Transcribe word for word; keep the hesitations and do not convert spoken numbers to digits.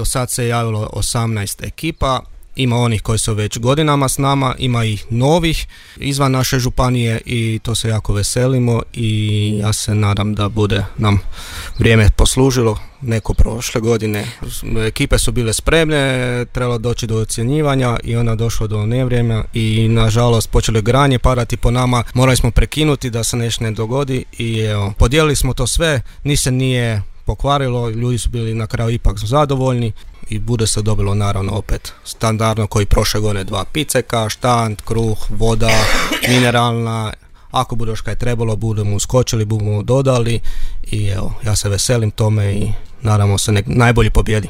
Do sad se javilo osamnaest ekipa. Ima onih koji su već godinama s nama, ima i novih izvan naše županije i to se jako veselimo i ja se nadam da bude nam vrijeme poslužilo. Neko prošle godine ekipe su bile spremne, trebalo doći do ocjenjivanja i onda došlo do nevrijeme i nažalost počeli granje padati po nama, morali smo prekinuti da se nešto ne dogodi i evo, podijelili smo to sve, ni se nije pokvarilo, ljudi su bili na kraju ipak zadovoljni i bude se dobilo naravno opet standardno koji prošle godine dva piceka, štand, kruh, voda, mineralna. Ako bude još kaj trebalo, budemo uskočili, budemo dodali i evo, ja se veselim tome i nadamo se nek najbolji pobjedi.